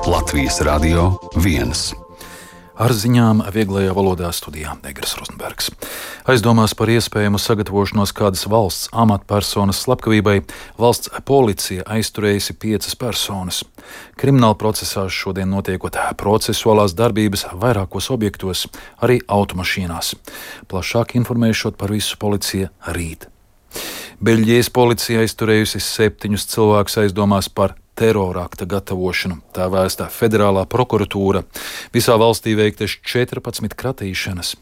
Latvijas Radio 1. Ar ziņām vieglajā valodā studijā Negras Rozenbergs. Aizdomās par iespējamu sagatavošanos kādas valsts amatpersonas slepkavībai valsts policija aizturējusi 5 personas. Krimināla procesā šodien notiekot procesuālās darbības vairākos objektos, arī automašīnās. Plašāk informēšot par visu policija rīt. Beļģijas policija aizturējusi 7 cilvēkus aizdomās par terorakta gatavošanu, tā vēsta federālā prokuratūra. Visā valstī veiktas 14 kratīšanas.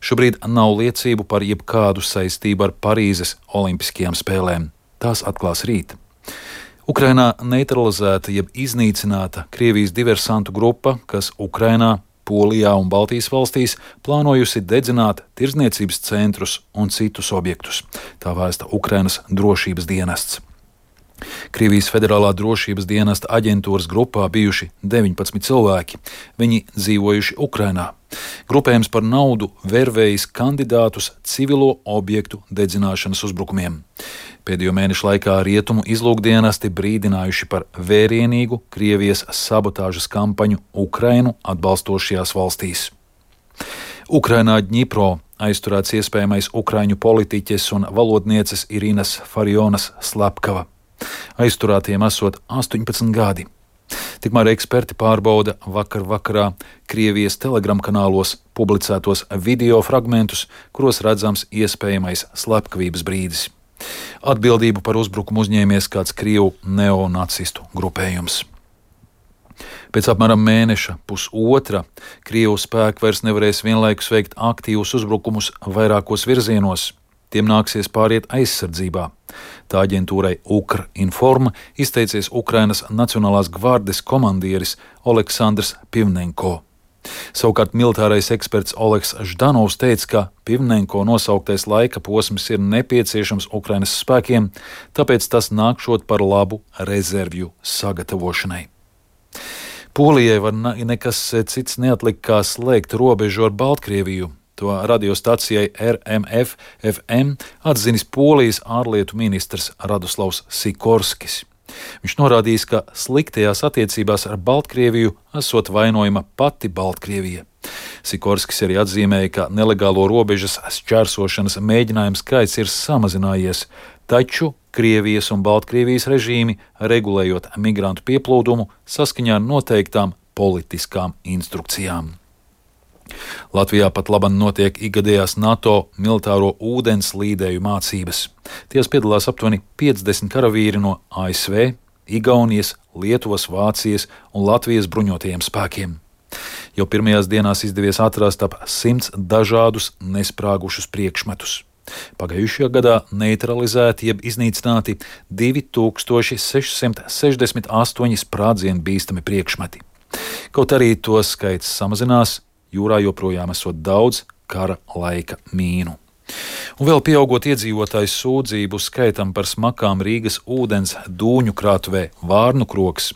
Šobrīd nav liecību par jebkādu saistību ar Parīzes olimpiskajām spēlēm. Tās atklās rīt. Ukrainā neutralizēta jeb iznīcināta Krievijas diversantu grupa, kas Ukrainā, Polijā un Baltijas valstīs plānojusi dedzināt tirdzniecības centrus un citus objektus. Tā vēsta Ukrainas drošības dienests. Krievijas federālā drošības dienesta aģentūras grupā bijuši 19 cilvēki. Viņi dzīvojuši Ukrainā. Grupējums par naudu vervējis kandidātus civilo objektu dedzināšanas uzbrukumiem. Pēdējo mēnešu laikā rietumu izlūkdienesti brīdinājuši par vērienīgu Krievijas sabotāžas kampaņu Ukrainu atbalstošajās valstīs. Ukrainā Dņipro aizturēts iespējamais ukraiņu politiķes un valodnieces Irinas Farionas slepkava. Aizturētiem esot 18 gadi. Tikmēr eksperti pārbauda vakar vakarā Krievijas Telegram kanālos publicētos video fragmentus, kuros redzams iespējamais slepkavības brīdis. Atbildību par uzbrukumu uzņēmies kāds krievu neonacistu grupējums. Pēc apmēram mēneša, pusotra, krievu spēki vairs nevarēs vienlaikus veikt aktīvus uzbrukumus vairākos virzienos. Tiem nāksies pāriet aizsardzībā. Tā aģentūrai Ukrinforma izteicies Ukrainas Nacionālās gvardes komandieris Oleksandrs Pivnenko. Savukārt militārais eksperts Oleks Ždanovs teica, ka Pivnenko nosauktais laika posms ir nepieciešams Ukrainas spēkiem, tāpēc tas nākšot par labu rezervju sagatavošanai. Polijai var nekas cits neatlikt, kā slēgt robežu ar Baltkrieviju. To radiostacijai RMF FM atzinis Polijas ārlietu ministrs Radoslavs Sikorskis. Viņš norādījis, ka sliktajās attiecībās ar Baltkrieviju esot vainojama pati Baltkrievija. Sikorskis arī atzīmēja, ka nelegālo robežas šķērsošanas mēģinājumu skaits ir samazinājies, taču Krievijas un Baltkrievijas režīmi, regulējot migrantu pieplūdumu, saskaņā ar noteiktām politiskām instrukcijām. Latvijā pat laban notiek ikgadējās NATO militāro ūdens līdēju mācības. Tajās piedalās aptuveni 50 karavīri no ASV, Igaunijas, Lietuvas, Vācijas un Latvijas bruņotajiem spēkiem. Jau pirmajās dienās izdevies atrast ap 100 dažādus nesprāgušus priekšmetus. Pagājušajā gadā neutralizēti jeb iznīcināti 2668 sprādzienu bīstami priekšmeti. Kaut arī to skaits samazinās, jūrā joprojām esot daudz kara laika mīnu. Un vēl pieaugot iedzīvotāju sūdzību skaitam par smakām Rīgas ūdens dūņu krātuvē Vārnu krogs,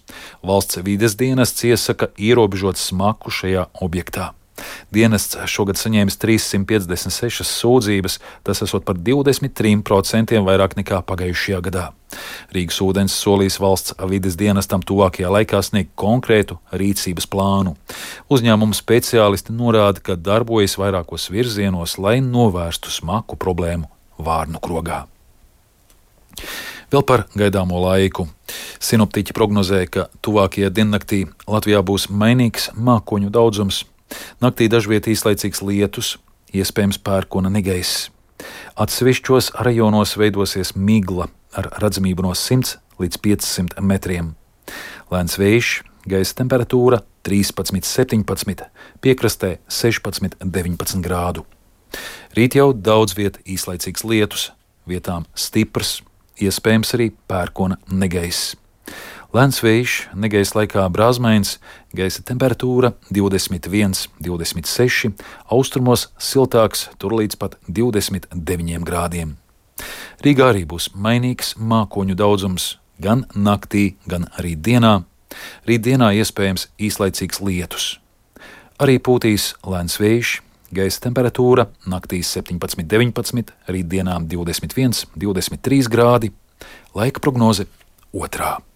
valsts vides dienests iesaka ierobežot smaku šajā objektā. Dienests šogad saņēmis 356 sūdzības, tas esot par 23% vairāk nekā pagājušajā gadā. Rīgas ūdens solīs valsts vides dienestam tuvākajā laikā sniegt konkrētu rīcības plānu. Uzņēmuma speciālisti norāda, ka darbojas vairākos virzienos, lai novērstu smaku problēmu Vārnu krogā. Vēl par gaidāmo laiku. Sinoptiķi prognozē, ka tuvākajā diennaktī Latvijā būs mainīgs mākoņu daudzums. Naktī dažviet īslaicīgs lietus, iespējams pērkona negaiss. Atsevišķos rajonos veidosies migla ar redzamību no 100 līdz 500 metriem. Lēns vējš, gaisa temperatūra 13–17, piekrastē 16–19 grādu. Rīt jau daudz viet īslaicīgs lietus, vietām stiprs, iespējams arī pērkona negaiss. Lēns vējš, negaisa laikā brāzmains, gaisa temperatūra 21–26, austrumos siltāks, tur līdz pat 29 grādiem. Rīgā arī būs mainīgs mākoņu daudzums gan naktī, gan arī dienā. Rītdienā iespējams īslaicīgs lietus. Arī pūtīs lēns vējš, gaisa temperatūra naktīs 17–19, rītdienām 21–23 grādi, laika prognoze 2.